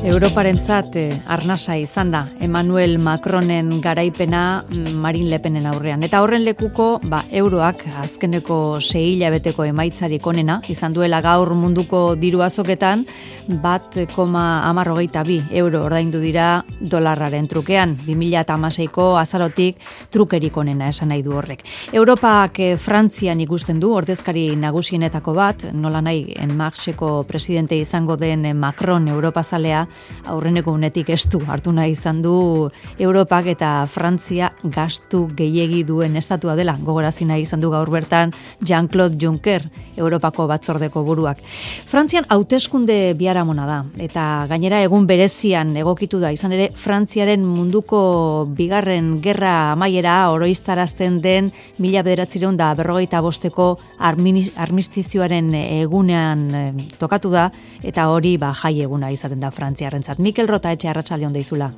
Europarentzat arnasa izan da Emmanuel Macronen garaipena Marine Le Penen aurrean. Eta horren lekuko, euroak azkeneko 6 hilabeteko emaitzarik onena izan duela gaur munduko diru azoketan 1,82 euro ordaindu dira dolarraren trukean. 2016ko azarotik trukerik onena esan nahi du horrek. Europak Frantzian ikusten du ordezkari nagusienetako bat, nola nahi En Marcheko presidente izango den Macron Europazalea aurreneko unetik estu hartu nahi izan du Europak eta Frantzia gastu gehiegi duen estatua dela. Gogorazi nahi izan du gaur bertan Jean-Claude Juncker, Europako batzordeko buruak. Frantzian hauteskunde biharamona da eta gainera egun berezian egokitu da. Izan ere Frantziaren munduko bigarren gerra amaiera oroiztarazten den 1945ko armistizioaren egunean tokatu da eta hori jai eguna izaten da Frantziarentzat. Mikel Rotaetxe, arratsaldeon deizula.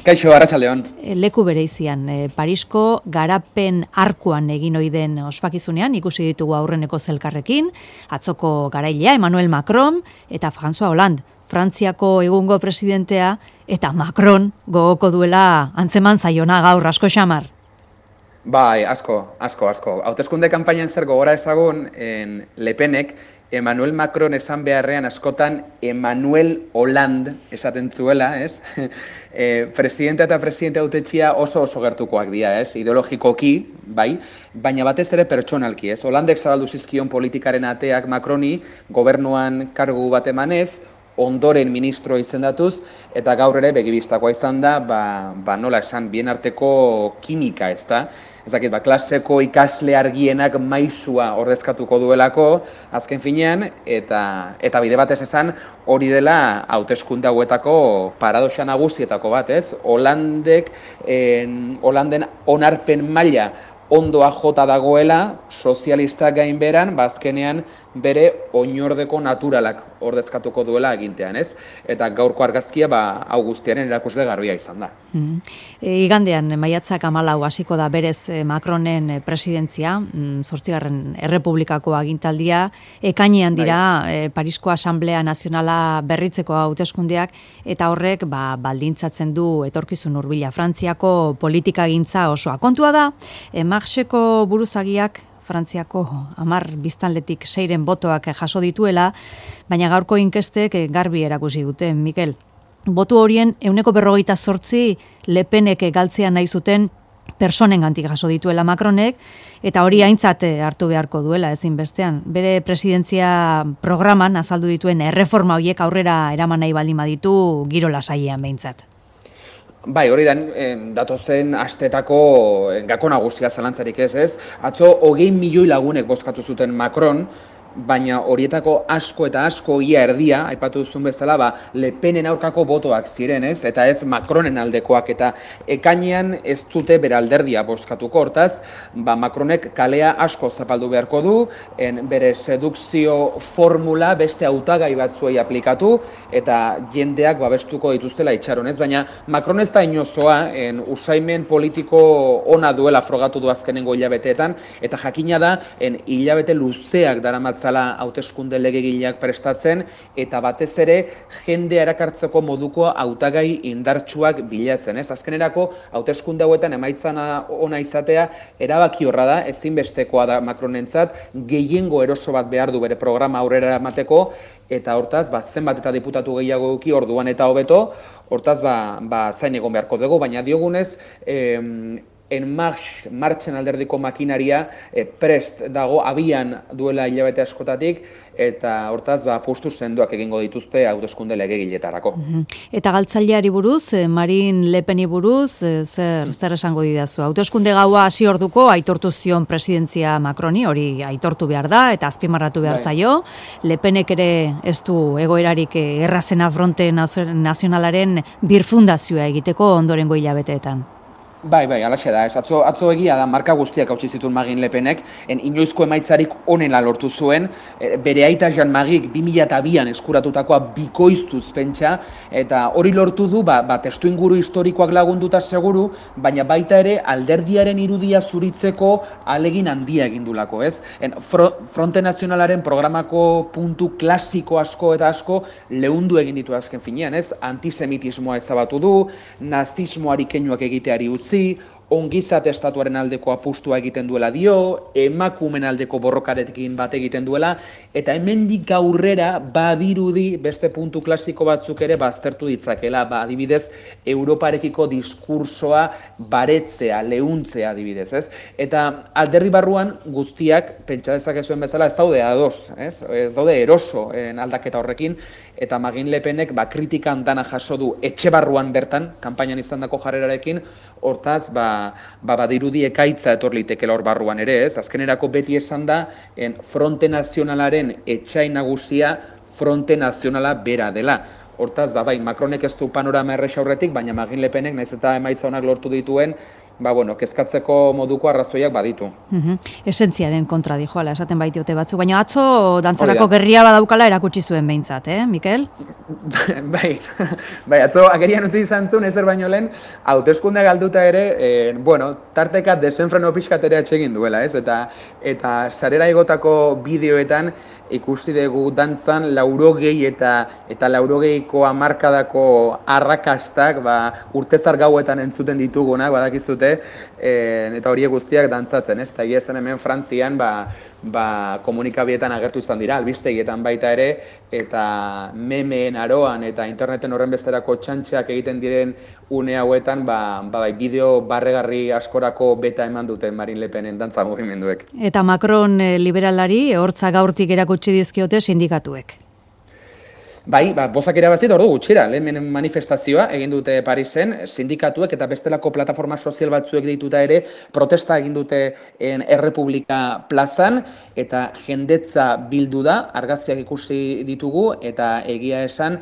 Kaixo, arratsaldeon. Leku bereizian, Parisko garapen arkuan egin ohi den ospakizunean ikusi ditugu aurreneko zelkarrekin, atzoko garailea Emmanuel Macron eta François Hollande, Frantziako egungo presidentea, eta Macron gogoko duela antzeman zaiona gaur asko xamar. Bai, asko. Hauteskunde kanpainan zer gogora ezagun, Le Penek Emmanuel Macron esan beharrean askotan Emmanuel Hollande esaten zuela, ez? Presidente eta presidente hautetxia oso gertukoak dira, ez? Ideologikoki, bai, baina batez ere pertsonalki, ez? Hollandek zabaldu zizkion politikaren ateak Macroni, gobernuan kargu bat emanez, ondoren ministro izendatuz, eta gaur ere begibistakoa izan da, nola esan, bien arteko kimika, ez da? Ez dakit, klaseko ikasle argienak maisua ordezkatuko duelako, azken finean, eta bide batez esan, hori dela hauteskunde hauetako paradoxa nagusietako bat, ez? Hollanden onarpen maila ondoa jota dagoela, sozialistak gainberan, azkenean bere oinordeko naturalak ordezkatuko duela agintean, ez? Eta gaurko argazkia hau guztiaren erakusle garbia izan da. Igandean, maiatzak 14 hasiko da berez Macronen presidentzia, 8. Errepublikako agintaldia, ekainean dira Parisko Asamblea Nazionala berritzeko hauteskundeak, eta horrek baldintzatzen du etorkizun hurbila Frantziako politikagintza osoa. Kontua da, Marxeko buruzagiak Frantziako 10 biztanletik 6 botoak jaso dituela, baina gaurko inkestek garbi erakusi dute, Mikel. Botu horien 48% Le Penek galtzea nahi zuten personengandik jaso dituela Macronek, eta hori aintzat hartu beharko duela ezinbestean. Bere presidentzia programan azaldu dituen erreforma horiek aurrera eraman nahi baldin baditu giro lasaian behintzat. Bai, hori datozen astetako gako nagusia zalantzarik ez? Atzo 20 milioi lagunek bozkatu zuten Macron, baina horietako asko eta asko ia erdia, aipatu duzun bezala, Le Penen aurkako botoak ziren, ez? Eta ez Macronen aldekoak, eta ekainean ez dute bere alderdia bozkatuko, hortaz, Macronek kalea asko zapaldu beharko du, bere sedukzio formula beste hautagai batzuei aplikatu, eta jendeak babestuko dituztela itxaron, ez? Baina Macron ez da inozoa, usaimen politiko ona duela frogatu du azkenengo hilabeteetan, eta jakina da, hilabete luzeak daramatzala hauteskunde legegileak prestatzen, eta batez ere jendea erakartzeko moduko hautagai indartsuak bilatzen, ez? Azkenerako hauteskunde hauetan emaitzana ona izatea erabaki horra da, ezinbestekoa da Macronentzat, gehiengo eroso bat behar du bere programa aurrera eramateko, eta hortaz, zenbat eta diputatu gehiago eduki orduan eta hobeto, hortaz, zain egon beharko dugu, baina diogunez, Marchen alderdiko makinaria prest dago, abian duela hilabete askotatik, eta hortaz, postu sendoak egingo dituzte hauteskunde legegiletarako. Eta galtzaileari buruz, Marine Le Peni buruz, zer esango didazu? Hauteskunde gaua hasi orduko aitortu zion presidentzia Macroni, hori aitortu behar da, eta azpimarratu behar zaio. Le Penek ere ez du egoerarik errazena Fronte Nazionalaren birfundazioa egiteko ondorengo hilabeteetan. Bai, alaxe da, ez. Atzo egia da, marka guztiak hautsi zituen Marine Le Penek, inoizko emaitzarik onela lortu zuen, bere aita Jean Marik 2002an eskuratutakoa bikoiztuz pentsa, eta hori lortu du, testu inguru historikoak lagunduta seguru, baina baita ere alderdiaren irudia zuritzeko alegin handia egindulako, ez? Fronte Nazionalaren programako puntu klasiko asko eta asko leundu egin ditu azken finean, ez? Antisemitismoa ezabatu du, nazismoari keinuak egiteari utzi, ongizate estatuaren aldeko apustua egiten duela dio, emakumen aldeko borrokarekin bat egiten duela, eta hemendik aurrera badirudi beste puntu klasiko batzuk ere baztertu ditzakela, adibidez, Europarekiko diskursoa baretzea, leuntzea adibidez, ez? Eta alderdi barruan guztiak, pentsa dezakezuen bezala, ez daude ados, ez daude eroso aldaketa horrekin, eta Marine Le Penek kritikan dana jaso du etxe barruan bertan, kanpainan izandako jarrerarekin, hortaz, badirudi ekaitza etor litekela hor barruan ere, ez? Azkenerako beti esan da, Fronte Nazionalaren etxai nagusia Fronte Nazionala bera dela. Hortaz, bai, Macronek ez du panorama erresa aurretik, baina Marine Le Penek, naiz eta emaitza honak lortu dituen, kezkatzeko moduko arrazoiak baditu. Esentziaren kontra dijoala, esaten baitiote batzuk, baina atzo dantzarako gerria badaukala erakutsi zuen behintzat, Mikel? Bai, atzo agerian utzi izan zuen, ezer baino lehen, hauteskunde galduta ere, tarteka desenfreno pixkat ere atsegin duela, ez? Eta sarera igotako bideoetan ikusi dugu dantzan 80 eta 80ko hamarkadako arrakastak urtezar gauetan entzuten ditugunak, badakizute, eta horiek guztiak dantzatzen, ez? Eta egia zen hemen Frantzian komunikabideetan agertu izan dira, albistegietan baita ere, eta memeen aroan eta interneten horren besterako txantxeak egiten diren une hauetan, bideo barregarri askorako beta eman duten Marine Le Penen dantza mugimenduek. Eta Macron liberalari hortza gaurtik erakutsi dizkiote sindikatuek. Bai, bozak irabazit ordu gutxira, lehen manifestazioa egin dute Parisen, sindikatuek eta bestelako plataforma sozial batzuek dituta ere protesta egin dute Errepublika plazan, eta jendetza bildu da, argazkiak ikusi ditugu, eta egia esan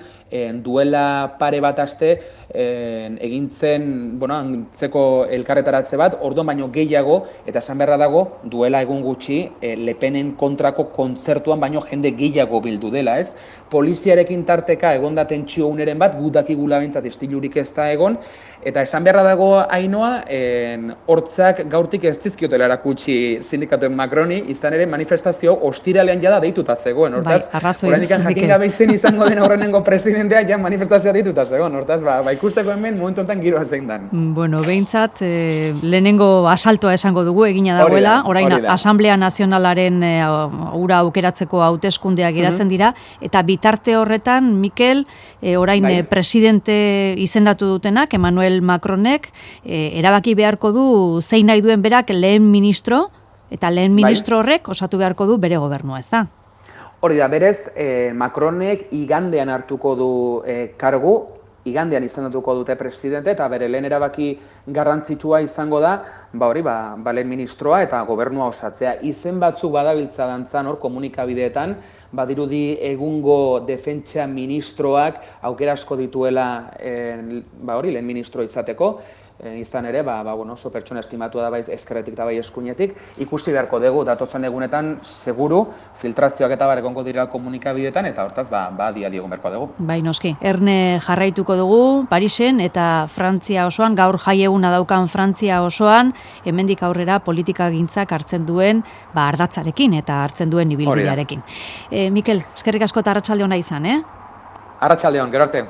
duela pare bat aste egintzen, antzeko elkarretaratze bat, orduan baino gehiago, eta esan beharra dago, duela egun gutxi, Le Penen kontrako kontzertuan baino jende gehiago bildu dela, ez? Poliziarekin tarteka egon da tentsio uneren bat, gudakigula bintzat istilurik ez da egon, eta esan beharra dago Ainhoa, hortzak gaurtik ez dizkiotela erakutsi sindikatuen Macroni, izan ere manifestazio ostiralean jada deituta zegoen, hortaz, oraindik jakin gabe izen izango den aurrenengo presidentea, ja manifestazioa deituta zegoen, hortaz, ikusteko hemen momentu honetan giroa zein dan. Bueno, behintzat, lehenengo asaltoa esango dugu egina dagoela, orain Asamblea Nazionalaren ura aukeratzeko hauteskundeak geratzen dira, eta bitarte horretan, Mikel, orain presidente izendatu dutenak, Emmanuel Macronek, erabaki beharko du zein nahi duen berak lehen ministro, eta lehen ministro horrek osatu beharko du bere gobernua, ez da? Hori da, berez, Macronek igandean hartuko du kargu, igandean izendatuko dute presidente, eta bere lehen erabaki garrantzitsua izango da, lehen ministroa eta gobernua osatzea. Izen batzuk badabiltza dantzan hor komunikabideetan, badirudi egungo defentsa ministroak aukera asko dituela lehen ministro izateko, izan ere, oso pertsona estimatua da bai ezkerretik eta bai eskuinetik, ikusi beharko dugu datozen egunetan seguru filtrazioak eta egongo dira komunikabideetan, eta hortaz dia egon beharko dugu. Bai, noski, erne jarraituko dugu Parisen eta Frantzia osoan, gaur jaieguna daukan Frantzia osoan, hemendik aurrera politikagintzak hartzen duen ardatzarekin eta hartzen duen ibilbidearekin. Mikel, eskerrik asko eta arratsalde ona izan, Arratsalde on, gero arte.